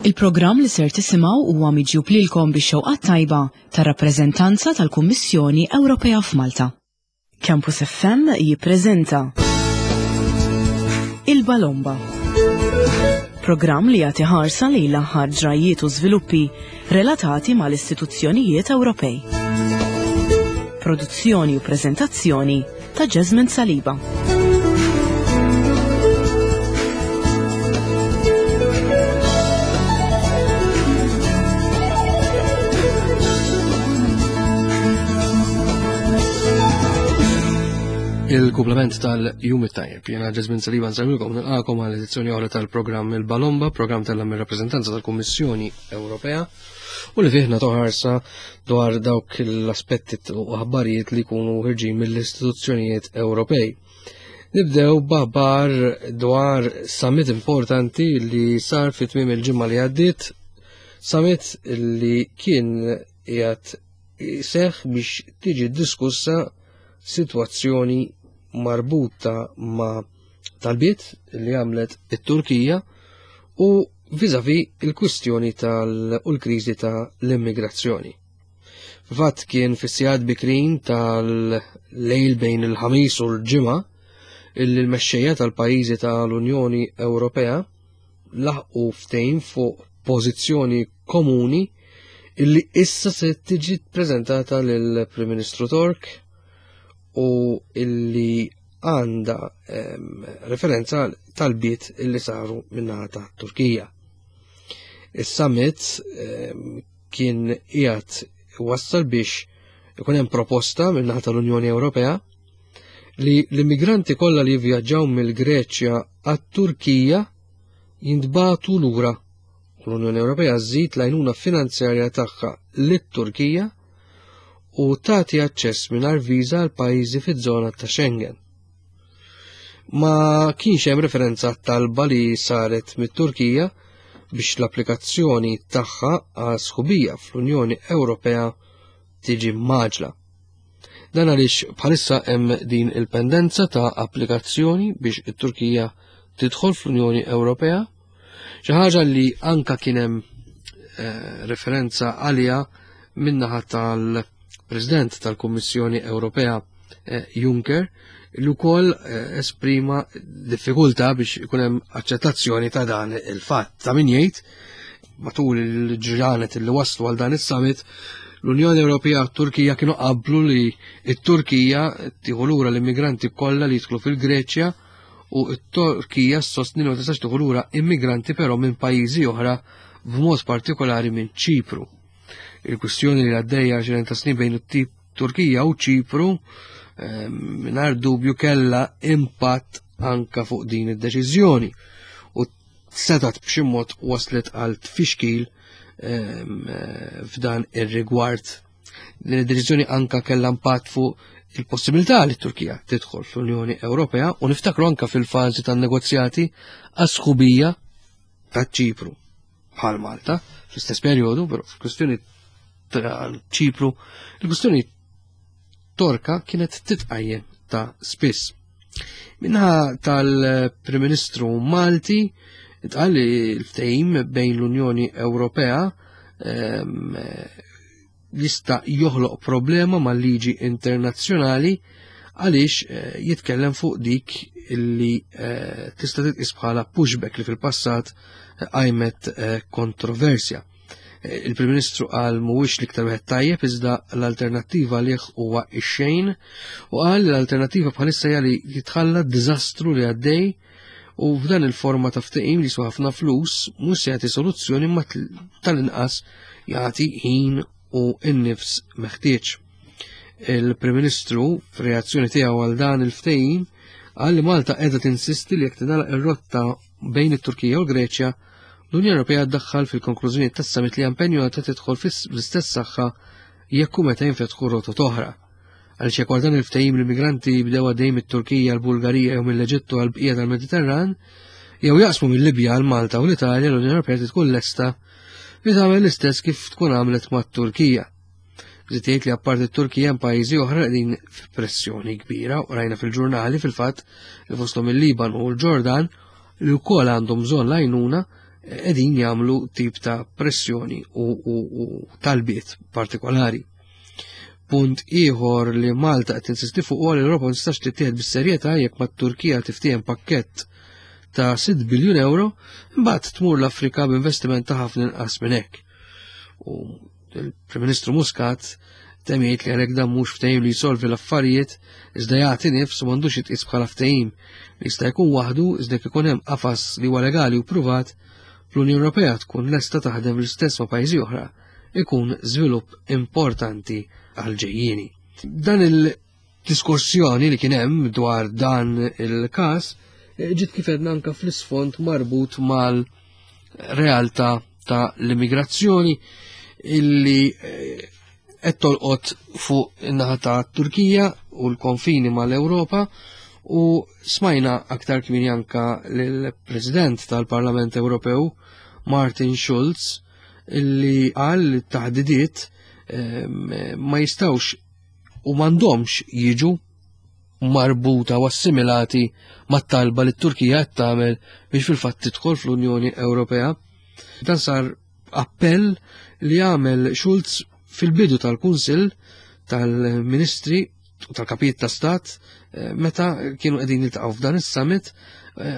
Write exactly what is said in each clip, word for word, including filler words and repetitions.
Il-programm li ser tisimgħu huwa miġjub lilkom bix-xewqa tajba tar-rappreżentanza tal-Kummissjoni Ewropea f'Malta. Campus F M jippreżenta Il-Balomba. Programm li jagħti ħarsa lejn l-aħħar ġrajiet u żviluppi relatati mal-istituzzjonijiet Ewropej. Produzzjoni u preżentazzjoni ta' Jasmine Saliba. Il-kumplament tal-Jum it-Tajjeb. Jiena Jasmine Saliba nsellmilkom nilqakom għal edizzjoni oħra tal-programm Il-Balomba, programm tal-rappreżentanza tal-Kummissjoni Ewropea, u li fih nagħtu ħarsa dwar dawk l-aspetti u aħbarijiet li jkunu ħirġin mill-istituzzjonijiet Ewropej. Nibdew b'aħbar dwar summit importanti li sar fi tmiem il-ġimgħa li għaddiet, summit li kien qiegħed iseħħ biex tiġi diskussa sitwazzjoni marbuta ma' talbiet li għamlet it-Turkija u vizavi il-kwistjoni tal- u l-kriżi tal-immigrazzjoni. Fil-fatt kien fis-sigħat bikrin tal-lejl bejn il-ħamis u l-ġimgħa illi l-mexxejja tal-pajjiżi tal-Unjoni Ewropea laħqu ftehim fuq pożizzjoni komuni illi issa se tiġi ppreżentata lill-Prim Ministru Tork u illi għanda, ehm, referenza talbiet illi saru min-naħa ta' Turkija. Is-summit, ehm, kien qiegħed wassal biex ikun hemm proposta min-naħa tal-Unjoni Ewropea li l-immigranti kollha li jivvjaġġaw mill-Greċja għat-Turkija jintbagħtu lura. U l-Unjoni Ewropea żżid l-għajnuna finanzjarja tagħha lit-Turkija u tagħti aċċess mingħajr viża għal pajjiżi fiż-żona ta' Schengen. Ma kienx hemm referenza għat-talba li saret mit-Turkija biex l-applikazzjoni tagħha għal sħubija fl-Unjoni Ewropea tiġi mgħaġla. Dan għaliex bħalissa hemm din il-pendenza ta' applikazzjoni biex it-Turkija tidħol fl-Unjoni Ewropea, xi ħaġa li anka kien hemm, eh, referenza għaliha min-naħa tal-President tal-Kummissjoni Ewropea, eh, Juncker, li wkoll, eh, esprima diffikultà biex ikun hemm aċċettazzjoni ta' dan il-fatt. Ta' min jgħid, matul il-ġranet li waslu għal dan is-summit, l-Unjoni Ewropea u t-Turkija kienu qablu li t-Turkija tieħu lura l-immigranti kollha li jidħlu fil-Greċja u t-Turkija ssostni li ma tistax tieħu lura immigranti però minn pajjiżi oħra, b'mod partikolari minn Ċipru. Il-kwistjoni li għaddejja għoxrin ta' snin bejn it-tip Turkija u Ċipru, ehm, mingħajr dubju kellha impatt anka fuq din id-deċiżjoni u setat b'xi mod waslet għal tfixkil, ehm, f'dan ir-rigward. Din id-deċiżjoni anka kellha impatt fuq il-possibilità li t-Turkija tidħol fl-Unjoni Ewropea u niftakru anka fil-fażi tan-negozjati għas-sħubija ta' Ċipru bħal Malta fl-istess perjodu, però fil-kwistjoni ta' Ċipru, il-kwistjoni Torka kienet titqajjem ta' spiss. Minnaħa tal-Prim Ministru Malti intqal li l-ftehim bejn l-Unjoni Ewropea, ehm, jista' joħloq problema mal-liġi internazzjonali għaliex, eh, jitkellem fuq dik illi, eh, tista' titqis bħala pushback li fil-passat qajmet, eh, kontroversja. Eh, il-Prim Ministru qal mhuwiex l-iktar wieħed tajjeb iżda l-alternattiva għalih huwa x-xejn u qal li l-alternattiva bħalissa hija li jitħalla d-diżastru li għaddej u f'dan il-forma ta' ftehim li jiswa ħafna flus mhux se jagħti soluzzjoni ma tl-, tal-inqas jagħti ħin u n-nifs meħtieġ. Il-Prim Ministru f'reazzjoni tiegħu għal dan il-ftehim qal li Malta qiegħda tinsisti li jekk tingħalaq ir-rotta bejn it-Turkija u l-Greċja, l-Unjoni Ewropea ddaħħal fil-konklużjoni tas-summit li impenjata tidħol fl-istess saħħa jekk u meta jinfetħu rotot oħra. Għaliex jekk wara dan il-ftehim l-immigranti jibdew għaddejjin mit-Turkija, l-Bulgarija jew mill-Eġittu għal bqija tal-Mediterran, jew jaqsmu mill-Libja għal Malta u l-Italja, l-Unjoni Ewropea tkun lesta li tagħmel l-istess kif tkun għamlet mat-Turkija. Żied jgħid li apparti t-Turkija hemm pajjiżi oħra li qegħdin f'pressjoni kbira u rajna fil-ġurnali fil-fatt li fosthom il-Liban u l-Ġordan li wkoll għandhom bżonn l-għajnuna qegħdin jagħmlu tip ta' pressjoni u, u, u talbiet partikolari. Punt ieħor li Malta qed tinsisti fuq huwa li l-Ewropa ma tistax tittieħed bis-serjetà jekk mat-Turkija tiftiehem pakkett ta' sitt biljun euro, imbagħad tmur l-Afrika b'investiment ta' ħafna inqas minn hekk. U il-Prim Ministru Muscat temm jgħid li għalhekk dan mhux ftehim li jsolvi l-affarijiet, iżda jagħti nifs u m'għandux jitqies bħala ftehim li jista' jkun waħdu, iżda jekk ikun hemm qafas li huwa legali u pruvat, l-Unjoni Ewropea tkun lesta taħdem l-istess ma' pajjiżi oħra, ikun żvilupp importanti għal-ġejjieni. Dan il-diskussjoni li kien hemm dwar dan il-każ ġiet kif għedna anka fl-isfond marbut mal-realtà ta' l-immigrazzjoni illi qed tolqot fuq in-naħa ta' Turkija u l-konfini mal-Ewropa, u smajna aktar kmieni anka lill-President tal-Parlament Ewropew Martin Schulz illi qal li t-taħdidiet ma jistawx u m'għandhomx jiġu marbuta u assimilati mat-talba li t-Turkija qed tagħmel biex fil-fatt tidħol fl-Unjoni Ewropea. Dan sar appell li għamel Schulz fil-bidu tal-Kunsill tal-Ministri u tal-Kapijiet ta' Stat meta kienu qegħdin jiltaqgħu f'dan is-summit,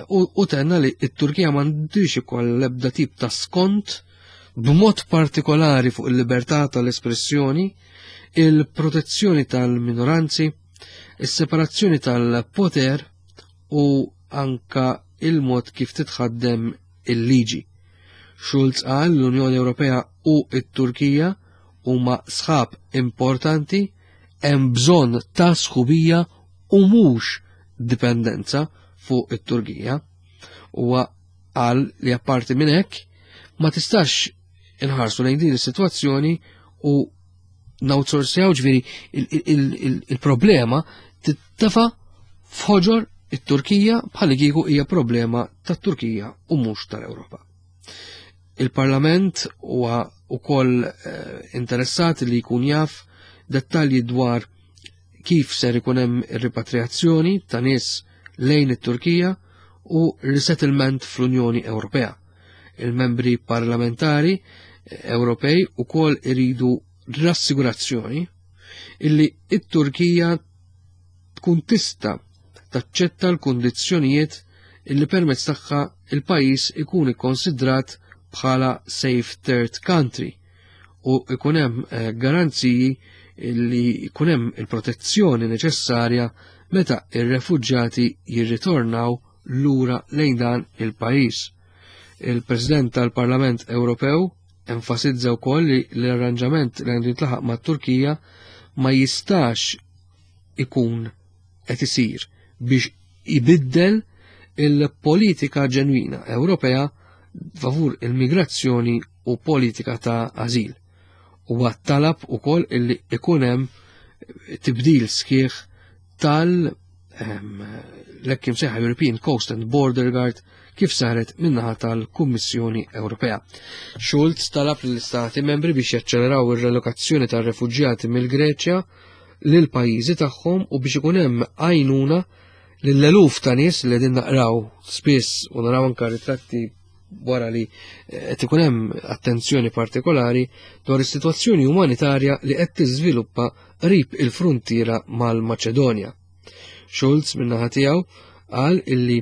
u tenna li t-Turkija m'għandix ikoll l-ebda tip ta' skont b'mod partikolari fuq il-libertà tal-espressjoni, il-protezzjoni tal-minoranzi, is-separazzjoni tal-poter u anka il-mod kif titħaddem il-liġi. Schulz qal l-Unjoni Ewropea u t-Turkija huma sħab importanti, hemm bżonn ta' sħubija u mhux dipendenza fuq it-Turkija. Huwa qal li apparti minn hekk ma tistax inħarsu lejn din is-sitwazzjoni u nawtsorsjaw, ġifieri il-problema tittefa' f'ħoġor it-Turkija bħal kieku hija problema tat-Turkija u mhux tal-Ewropa. Il-Parlament huwa wkoll interessat li jkun jaf dettalji dwar kif ser ikun hemm ir-ripatriazzjoni ta' nies lejn it-Turkija u resettlement fl-Unjoni Ewropea. Il-membri parlamentari Ewropej ukoll iridu rassigurazzjoni illi it-Turkija tkun tista' taċċetta l-kundizzjonijiet illi permezz tagħha il-pajjiż ikun ikkonsidrat bħala safe third country u ikun hemm garanziji illi ikun hemm il-protezzjoni neċessarja meta ir-refuġġjati jirritornaw lura lejn dan il-pajjiż. Il-President tal-Parlament Ewropew enfasizza wkoll li l-arranġament li għandu jintlaħaq mat-Turkija ma jistax ikun qed isir biex ibiddel il-politika ġenwina Ewropea favur il-migrazzjoni u politika ta' ażil. Huwa talab ukoll illi ikun hemm tibdil sħiħ tal l-hekk imsejħa European Coast and Border Guard kif saret min-naħa tal-Kummissjoni Ewropea. Schulz talab lill-Istati membri biex jaċċeleraw ir-relokazzjoni tar-refuġjati mill-Greċja lil pajjiżi tagħhom u biex ikun hemm għajnuna lill-eluf ta' nies li qegħdin naqraw spiss u naraw anke ritratti wara li qed ikun hemm attenzjoni partikolari dwar is-sitwazzjoni umanitarja li qed tiżviluppa qrib il-fruntiera mal-Maċedonja. Schulz min-naħa tiegħu qal illi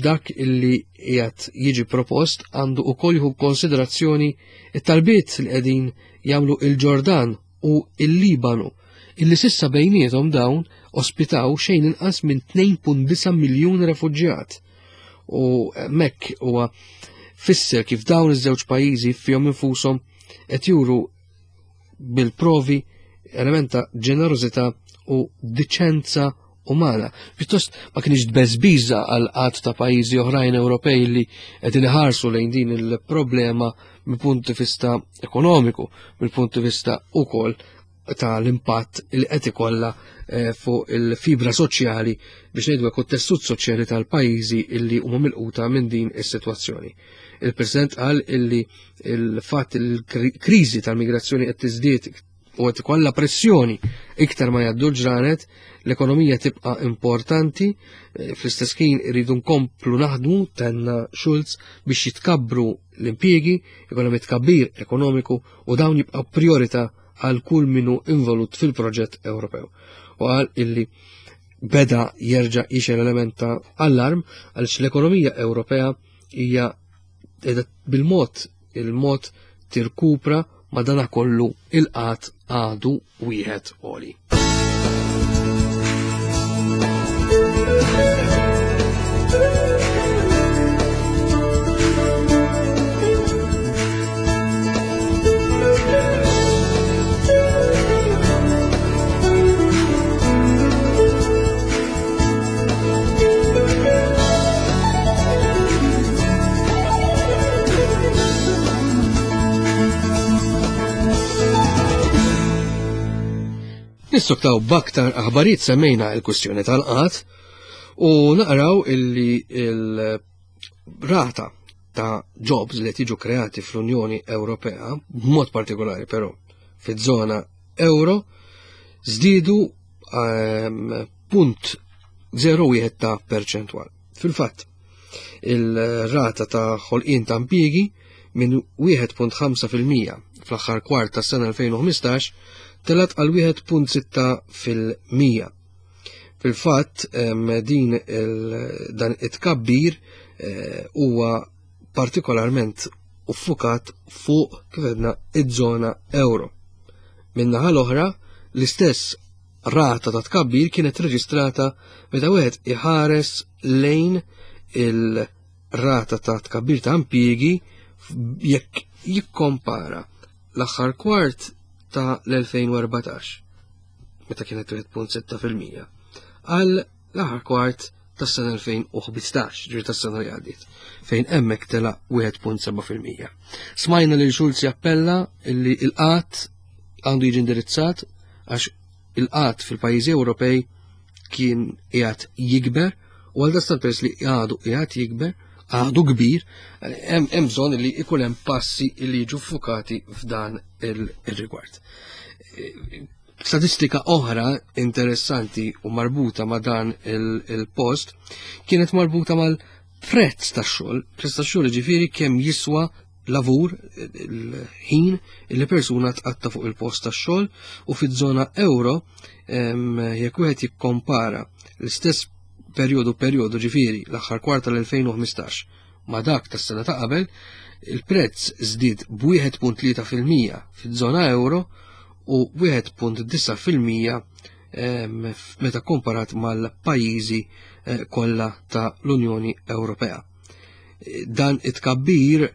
dak illi qiegħed jiġi propost għandu wkoll jieħu konsiderazzjoni it-talbiet li qegħdin jagħmlu il-Ġordan u il-Libanu, illi sissa bejniethom dawn ospitaw xejn inqas minn tnejn punt disa' miljun refuġjat. U hemmhekk huwa fisser kif dawn iż-żewġ pajjiżi fihom infushom qed juru bil-provi element ta' ġenerożità u diċenza umana. Pjuttost ma kienx tbeżbiża għal qatt ta' pajjiżi oħrajn Ewropej li qegħdin iħarsu lejn din il-problema mill-punt di vista ekonomiku, mill-punt di vista ukoll tal-impatt li qed ikollha fuq il-fibra soċjali biex ngħidu hekk it-tessut soċjali tal-pajjiżi illi huma milquta minn din is-sitwazzjoni. Il-President qal illi il-fatt il-kriżi tal-migrazzjoni qed tiżdied u qed ikollha pressjoni iktar ma jgħaddu l-ġranet, l-ekonomija tibqa' importanti, fl-istess ħin irridu nkomplu naħdmu, tenna Schulz, biex jitkabbru l-impjiegi, ikun hemm tkabbir ekonomiku u dawn jibqa' priorità għal kull minu involut fil-proġett Ewropew. U qal illi beda jerġa' jixel element ta' allarm għaliex l-ekonomija Ewropea hija bil-mod il-mod tirkupra, ma dana kollu il-qat għadu wieħed għoli. Nistoktaw b'aktar aħbarijiet, semmejna il-kwistjoni tal-qat u naqraw illi il-rata ta' jobs li tiġu kreati fl-Unjoni Ewropea, b'mod partikolari però fiż-żona euro, żdiedu punt zero wieħed ta' perċentwal. Fil-fatt, il-rata ta' ħolqien ta' impjiegi minn wieħed punt ħamsa fil-mija fl-aħħar kwart tas-sena elfejn u ħmistax telat għal wieħed punt sitta fil-mija. Fil-fatt, din il-, dan it-tkabbir, eh, huwa partikolarment uffukat fuq, kif għedna, iż-żona euro. Min-naħa l-oħra, l-istess rata ta' tkabbir kienet reġistrata meta wieħed iħares lejn il-rata ta' tkabbir ta' impjiegi jekk jikkompara l-aħħar kwart ta' l-elfejn u erbatax, meta kienet wieħed punt sitta fil-mija, għal l-aħħar kwart tas-sena elfejn u ħmistax, ġifieri tas-sena li għaddiet, fejn hemmhekk tela' wieħed punt seba' fil-mija. Smajna lil Schulz jappella illi il-qat għandu jiġi indirizzat għax il-qat fil-pajjiżi Ewropej kien qiegħed jikber, u għal dastan peress li għadu qiegħed jikber, għadu kbir, hemm, hemm bżonn li ikun hemm passi li jiġu ffukati f'dan il-rigward. Statistika oħra interessanti u marbuta ma' dan il-, il-post kienet marbuta mal-prezz tax-xogħol. Prezz tax-xogħol ġifieri kemm jiswa lavur, il-ħin li persuna tqatta fuq il-post tax-xogħol, u fiż-żona euro, em, jekk wieħed jikkompara l-istess perjodu perjodu ġifieri l-aħħar kwart tal-elfejn u ħmistax ma' dak tas-sena ta' qabel, il-prezz żdied b'wieħed punt tlieta fil-mija fiż-żona euro u wieħed punt disa' fil-mija, em, meta komparat mal-pajjiżi, eh, kollha ta' l-Unjoni Ewropea. Dan it-tkabbir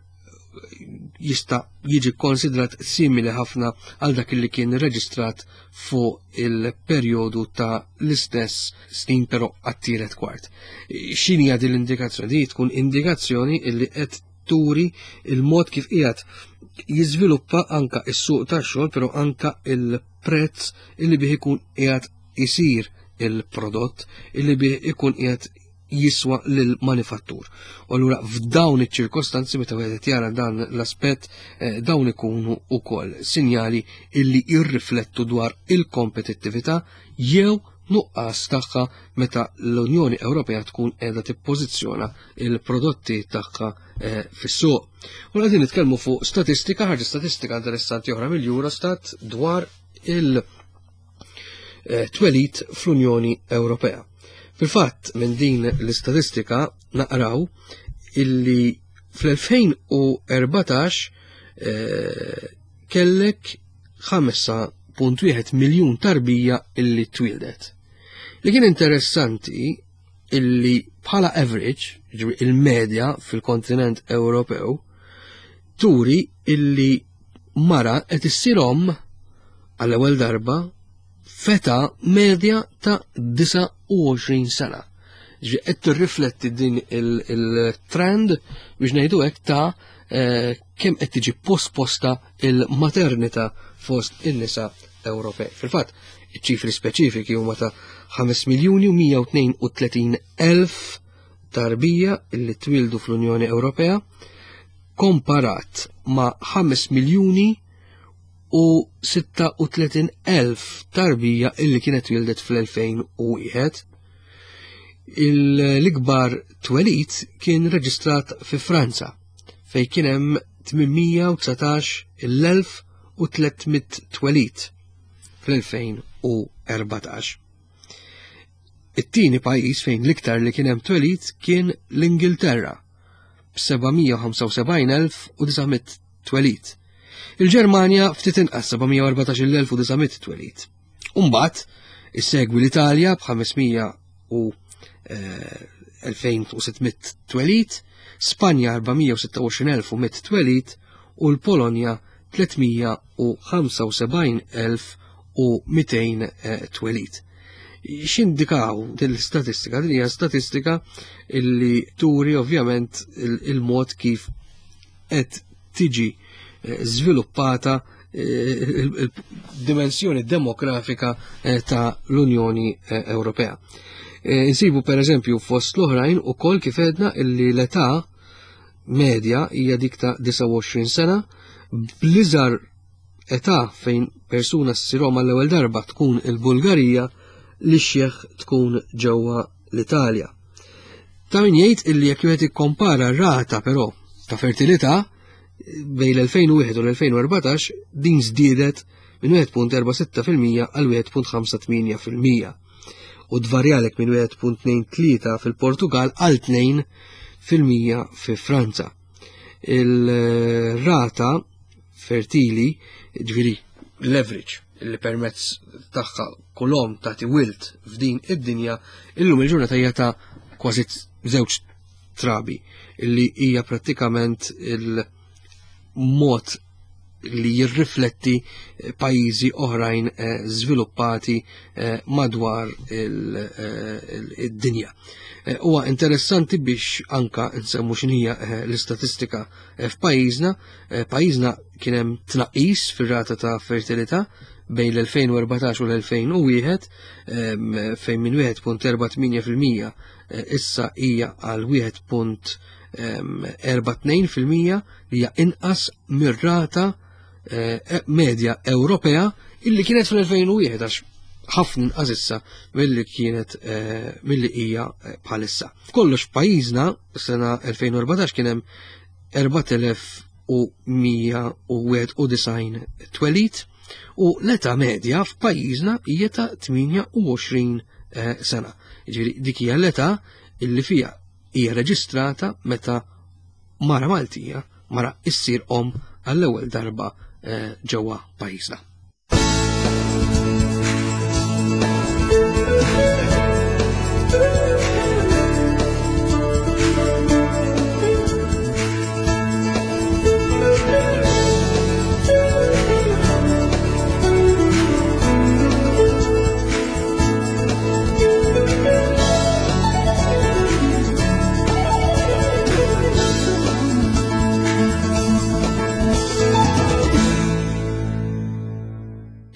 jista' jiġi konsidrat simili ħafna għal dak li kien reġistrat fuq il-perjodu ta' l-istess snin però għat-tielet kwart. X'inhi din l-indikazzjoni? Din tkun indikazzjoni illi qed turi il-mod kif qiegħed jiżviluppa anka s-suq tax-xogħol, però anka il-prezz illi bih ikun qiegħed isir il-prodott, illi bih ikun qiegħed jiswa lill-manifattur. U allura f'dawn iċ-ċirkostanzi meta wieħed jara dan l-aspett, eh, dawn ikunu wkoll sinjali illi jirriflettu dwar il-kompetittività jew nuqqas tagħha meta l-Unjoni Ewropea tkun qiegħda tippożizzjona il-prodotti tagħha, eh, fis-suq. U qegħdin nitkellmu fuq statistika, ħaġa statistika interessanti oħra mill-Eurostat dwar il, eh, twelid fl-Unjoni Ewropea. Fil-fatt, minn din l-istatistika naqraw illi fl-elfejn u erbatax, eh, kellek ħamsa punt wieħed miljun tarbija illi twildet. Li kien interessanti illi bħala average, ġifieri il-medja fil-kontinent Ewropew, turi illi mara qed issir omm għall-ewwel darba feta medja ta' disa u għoxrin sena. Ġifieri qed tirrifletti din il-, il-trend biex ngħidu hekk ta', eh, kemm qed tiġi posposta il-maternità fost in-nisa Ewropej. Fil-fatt, iċ-ċifri speċifiki huma ta' ħames miljuni u mija u tnejn u tletin elf tarbija illi twildu fl-Unjoni Ewropea, komparat ma' ħames miljuni u sitta u tletin elf tarbija illi kienet wildet fl-elfejn u wieħed. L-ikbar twelid kien reġistrat fi Franza, fejn kien hemm tmienmija u dsatax il-elf u tliet mitt twelid fl-elfejn u erbatax. It-tieni pajjiż fejn l-iktar li kien hemm twelid kien l-Ingilterra b'seba' mija u ħamsa u sebgħin elf u disa' mitt twelid. Il-Ġermanja ftit inqas seba' mija u erbatax il elf u disa' mitt twelid. Umbagħad issegwi l-Italja b'ħames mija u, eh, elfejn u sitt mitt twelid, Spanja erba' mija u sitta u għoxrin elf u mitt twelid u l-Polonja tliet mija u ħamsa u sebgħin elf u mitejn, eh, twelid. X'indikaw din l-istatistika? Din hija statistika illi turi ovvjament il-, il-mod kif qed tiġi, eh, żviluppata, eh, il-, il-dimensjoni demografika, eh, ta' l-Unjoni, eh, Ewropea. Eh, insibu per eżempju fost l-oħrajn ukoll kif għedna illi l-età medja hija dik ta' disgħa u għoxrin sena, bl-iżgħar età fejn persuna ssir omm għall-ewwel darba tkun il-Bulgarija, li xieħ tkun ġewwa l-Italja. Ta' min jgħid illi jekk wieħed ikkompara r-rata però ta' fertilità bejn l-elfejn u wieħed u l-elfejn u erbatax din żdiedet minn wieħed punt erba' sitta fil-mija għal wieħed punt ħamsa tmienja fil-mija u tvarjalek minn wieħed punt tnejn tlieta fil-Portugal għal tnejn fil-mija fi Franza. Il-rata fertili, ġifieri l-average li permezz tagħha kull omm tagħti wild f'din id-dinja, illum il-ġurnata hija ta' kważi żewġ trabi, illi hija prattikament il-mod li jirrifletti pajjiżi oħrajn, eh, żviluppati, eh, madwar il-, eh, id-dinja. Eh, huwa interessanti biex anka nsemmu x'inhija, eh, l-istatistika, eh, f'pajjiżna. Eh, pajjiżna kien hemm tnaqqis fir-rata ta' fertilità bejn l-elfejn u erbatax u l-elfejn u wieħed, ehm, fejn minn wieħed punt erba' tmienja fil-mija, eh, issa hija għal wieħed punt, ehm, erba' tnejn fil-mija, li hija inqas mir-rata, eh, medja Ewropea illi kienet fl-elfejn u wieħed, għax ħafna inqas issa milli kienet, eh, milli hija, eh, bħalissa. Kollox f'pajjiżna sena elfejn u erbatax kien hemm erbat elef u mija u wieħed u disgħin twelid u l-età medja f'pajjiżna hija ta' tmienja u għoxrin, eh, sena. Jiġifieri dik hija l-età illi fiha hija reġistrata meta mara Maltija mara issir omm għall-ewwel darba, eh, ġewwa pajjiżna.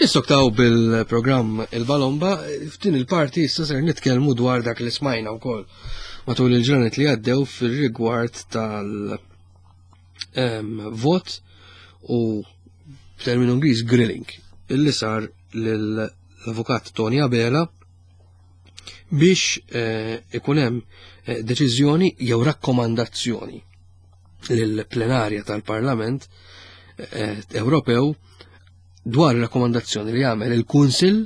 Nissoktaw bil-programm Il-Balomba, f'din il-parti issa ser nitkellmu dwar dak li smajna wkoll matul il-ġranet li għaddew fir-rigward tal, ehm, vot u b'terminu Ingliż grilling illi sar lill-avukat Tony Abela biex, eh, ikun hemm, eh, deċiżjoni jew rakkomandazzjoni lill-plenarja tal-Parlament, eh, Ewropew dwar rakkomandazzjoni li jagħmel il-Kunsill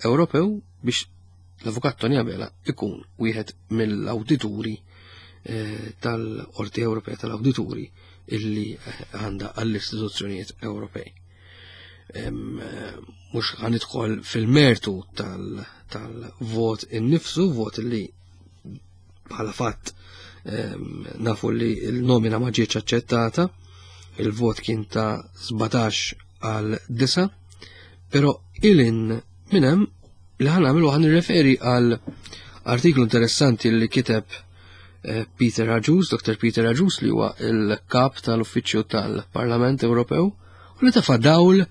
Ewropew biex l-Avukat Tony Abela ikun wieħed mill-awdituri, eh, tal-Qorti Ewropea tal-Awdituri illi, eh, għandha għall-istituzzjonijiet Ewropej. Em, eh, mhux ħanidħol fil-mertu tal-, tal-vot innifsu, vot li bħala fatt, em, nafu li l-nomina ma ġietx aċċettata, il-vot kien ta' sbatax għal disa, però ilin minn hemm li ħa nagħmlu ħa nirreferi għal artiklu interessanti li kiteb, eh, Peter Agius, Doktor Peter Agius, li huwa il-kap tal-Uffiċċju tal-Parlament Ewropew, u li tefa' dawl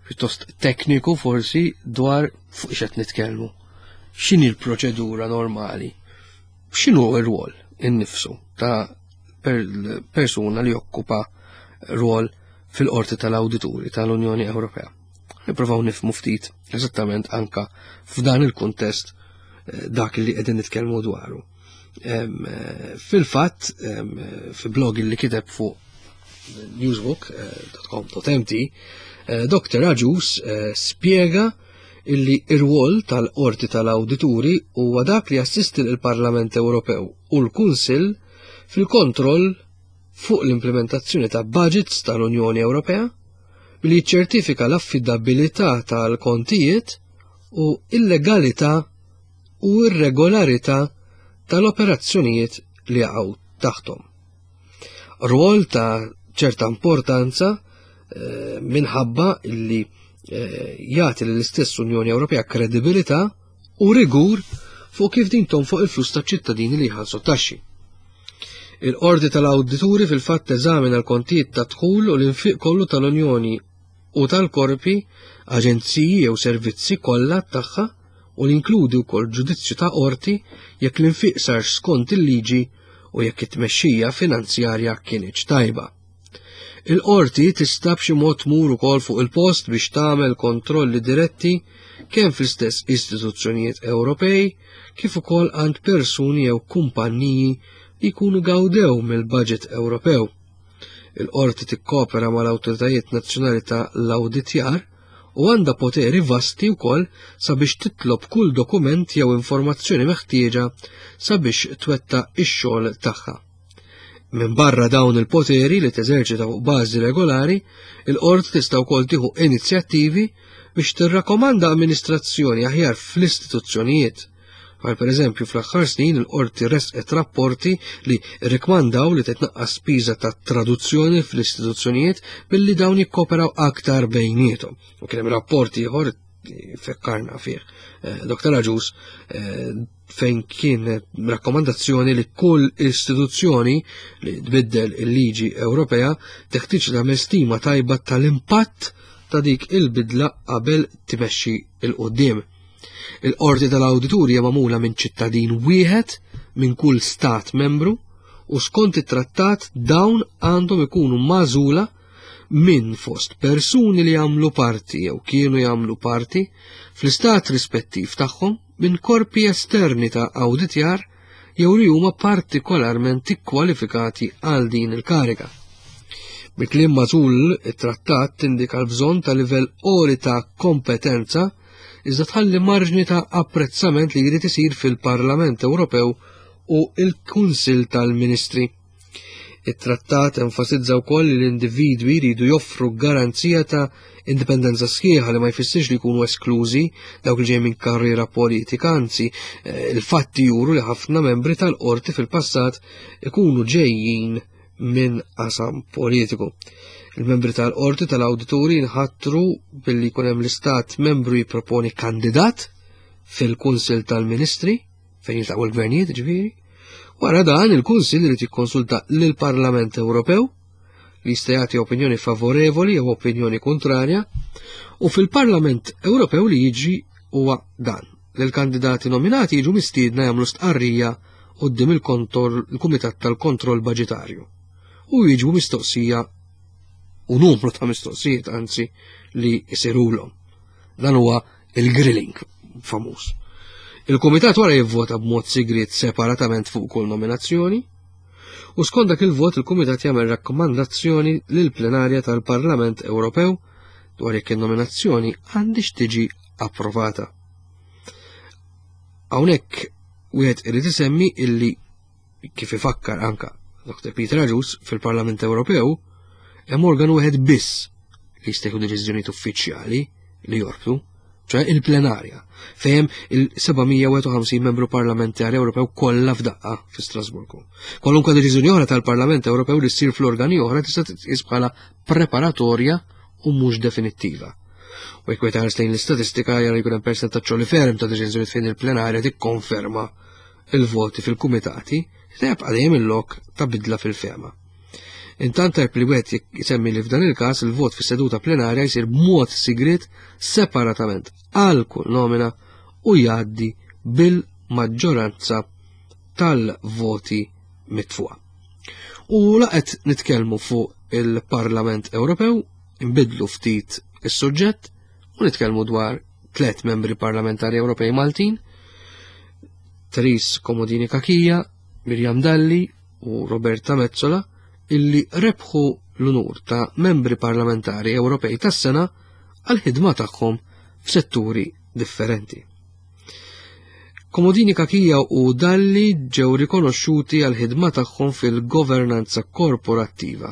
pjuttost tekniku forsi dwar fuq x'qed nitkellmu. X'inhi l-proċedura normali? X'inhu r-rwol innifsu ta' per-, persuna li jokkupa rwol fil-Qorti tal-Awdituri tal-Unjoni Ewropea. Nippruvaw nifhmu ftit eżattament anka f'dan il-kuntest eh, dak li qegħdin nitkellmu dwaru. Eh, fil-fatt, fi blog li kiteb fuq newsbook dot com dot M T, eh, Doktor Agius spjega illi ir-rwol tal-Qorti tal-Awdituri huwa dak li jassisti l-Parlament Ewropew u l-Kunsill fil-kontroll fuq l-implementazzjoni ta' budgets tal-Unjoni Ewropea billi jiċċertifika l-affidabilità tal-kontijiet u il-legalità u ir-regolarità tal-operazzjonijiet li jaqgħu taħtom. Rwol ta' ċerta importanza eh, minħabba illi eh, jagħti lill-istess Unjoni Ewropea kredibilità u rigur fuq kif din tonfoq il-flus ta' ċittadini li jħallsu taxxi. Il-Qorti tal-Awdituri fil-fatt teżamina l-kontijiet ta' dħul u l-infiq kollu tal-Unjoni u tal-korpi, aġenziji jew servizzi kollha tagħha u li wkoll ġudizzju ta' qorti jekk l-infiq sarx skont il-liġi u jekk it-tmexxija finanzjarja kienx tajba. Il-qorti tista' b'xi mod tmur ukoll fuq il-post biex tagħmel kontrolli diretti kemm fl-istess istituzzjonijiet Ewropej kif ukoll għand persuni jew kumpanniji li jkunu gawdew mill-budget Ewropew. Il-qorti tikkopera mal-awtoritajiet nazzjonali ta' l-awditjar u għandha poteri vasti wkoll sabiex titlob kull dokument jew informazzjoni meħtieġa sabiex twettaq ix-xogħol tagħha. Minn barra dawn il-poteri li teżerċita fuq bażi regolari, il-qorti tista' wkoll tieħu inizjattivi biex tirrakkomanda amministrazzjoni aħjar fl-istituzzjonijiet. Bħal per eżempju fl-aħħar snin il-qorti resqet rapporti li rikmandaw li titnaqqas spiża ta' traduzzjoni fl-istituzzjonijiet billi dawn jikkoperaw aktar bejniethom. U kien hemm rapporti ieħor fekkarna fih eh, Doktor Agius eh, fejn kien rakkomandazzjoni li kull istituzzjoni li tbiddel il-liġi Ewropea teħtieġ tagħmel stima tajba tal-impatt ta' dik il-bidla qabel timexxi 'l quddiem. Il-Qorti tal-Awdituri hija magħmula minn ċittadin wieħed minn kull stat membru u skont it-trattat dawn għandhom ikunu magħżula minn fost persuni li jagħmlu parti jew kienu jagħmlu parti fl-istat rispettiv tagħhom minn korpi esterni ta' awditjar jew li huma partikolarment ikkwalifikati għal din il-kariga. Bi kliem matul it-trattat tindika l-bżonn ta' livell għoli ta' kompetenza iżda tħalli marġni ta' apprezzament li jrid isir fil-Parlament Ewropew u il-Kunsill tal-Ministri. Il-trattat enfasizza wkoll li l-individwi jridu joffru garanzija ta' indipendenza sħiħa li ma jfissirx li jkunu esklużi dawk li ġej minn karriera politika, anzi eh, il-fatti juru li ħafna membri tal-qorti fil-passat ikunu ġejjin minn qasam politiku. Il-membri tal-qorti tal-awdituri nħatru billi jkun hemm l-istat membru jipproponi kandidat fil-Kunsill tal-Ministri fejn jiltaqgħu l-gvernijiet ġifieri. Wara dan il-Kunsill irid jikkonsulta lill-Parlament Ewropew li jista' jagħti opinjoni favorevoli jew opinjoni kontrarja u fil-Parlament Ewropew li jiġri huwa dan. L-kandidati nominati jiġu mistiedna jagħmlu stqarrija quddiem il-Kumitat tal-Kontroll Baġitarju u jiġu mistoqsija u numru ta' mistoqsijiet anzi li jsirulhom. Dan huwa il-grilling famuż. Il-Kumitat wara jivvota b'mod sigriet separatament fuq kull nominazzjoni u skont dak il-vot il-Kumitat jagħmel rakkomandazzjoni lill-plenarja tal-Parlament Ewropew dwar jekk in-nominazzjoni għandix tiġi approvata. Hawnhekk wieħed irid isemmi illi kif ifakkar anka Doktor Peter Agius fil-Parlament Ewropew hemm organu wieħed biss li jista' jieħu deċiżjonijiet uffiċjali li jorbtu, ċoè il-plenarja, fejn il-seba' mija u wieħed u ħamsin membru parlamentari Ewropew kollha f'daqqa fi Strasburgu. Kwalunkwe deċiżjoni oħra tal-Parlament Ewropew li ssir fl-organi oħra tista' titqies bħala preparatorja u mhux definittiva. U jekk wieħed lejn l-istatistika jara jkun hemm persentaġġ li ferm ta' deċiżjonijiet fejn il-plenarja tikkonferma il-voti fil-kumitati, jibqa' dejjem il-lok ta' bidla fil-fehma. Intant tajb li wieħed jsemmi li f'dan il-każ il-vot fis-seduta plenarja jsir b'mod sigriet separatament għal kull nomina u jgħaddi bil-maġġoranza tal-voti mitfuqa. U laqet nitkellmu fuq il-Parlament Ewropew, nbidlu ftit is-suġġett u nitkellmu dwar tliet membri parlamentari Ewropej Maltin, Therese Comodini Cachia, Miriam Dalli u Roberta Metsola, illi rebħu l-unur ta' membri parlamentari Ewropej tas-sena għal-ħidma tagħhom f'setturi differenti. Comodini Cachia u Dalli ġew rikonoxxuti għal-ħidma tagħhom fil-governanza korporattiva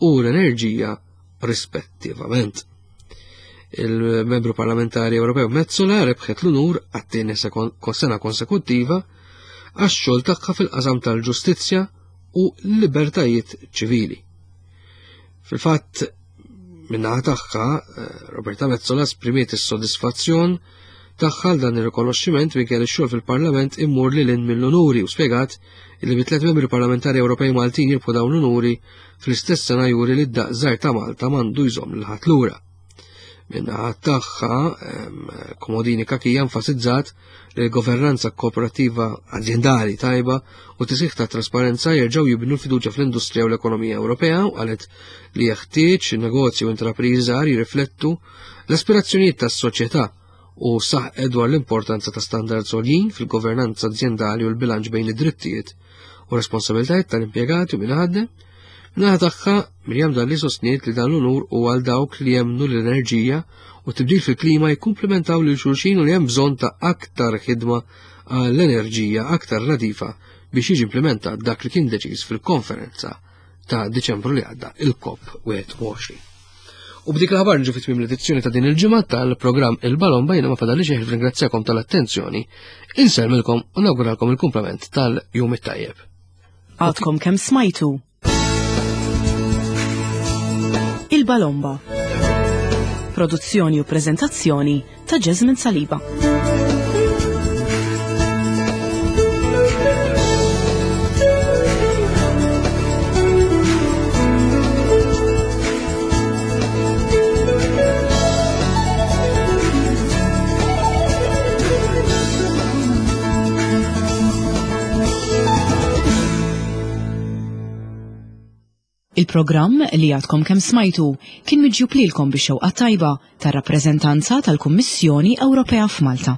u l-enerġija rispettivament. Il-membru parlamentari Ewropew Metsola rebħet l-unur għat-tieni sena konsekuttiva għax-xogħol tagħha fil-qasam tal-ġustizzja u l-libertajiet ċivili. Fil-fatt, min-naħa tagħha, Roberta Metsola esprimiet is-sodisfazzjon tagħha għal dan ir-rikonoxximent minkejja li x-xogħol fil-Parlament immur lil hinn mill-unuri u spjegat li bi tliet membri parlamentari Ewropej Maltin jirbħu dawn l-unuri fl-istess sena juri li d-daqs żgħir ta' Malta m'għandu jżomm lil ħadd lura. Min-naħa tagħha, Comodini Cachia enfasizzat li l-governanza korporattiva aziendali tajba u tisħiħ ta' trasparenza jerġgħu jibnu l-fiduċja fl-industrija u l-ekonomija Ewropea u qalet li jeħtieġ negozji u intrapriżi żgħar jirriflettu l-aspirazzjonijiet tas-soċjetà u saħqet dwar l-importanza ta' standards għoljin fil-governanza aziendali u l-bilanċ bejn id-drittijiet u responsabilitajiet tal-impjegati u min iħaddem. Min-naħa tagħha, Miriam Dalli sostniet li dan l-unur huwa għal dawk li jemmnu l-enerġija u tibdil fil-klima jikkumplementaw lil xulxin u li hemm bżonn ta' aktar ħidma għall-enerġija aktar nadifa biex jiġi implementat dak li kien deċiż fil-konferenza ta' Diċembru li għadda, il-COP wieħed u għoxrin. U b'dik l-aħbar nġu fit-tmiem l-edizzjoni ta' din il-ġimgħa tal-programm Il-Balomba. Jiena ma fadalli xejn ringrazzjakom tal-attenzjoni, insellmilkom u nawguralkom il-kumplament tal-jum it-tajjeb. Għadkom kemm smajtu Il-Balomba. Produzzjoni u prezentazzjoni ta' Jasmine Saliba. Il-programm li għadkom kemm smajtu kien miġjub lilkom bix-xewqa tajba tar-rappreżentanza tal-Kummissjoni Ewropea f'Malta.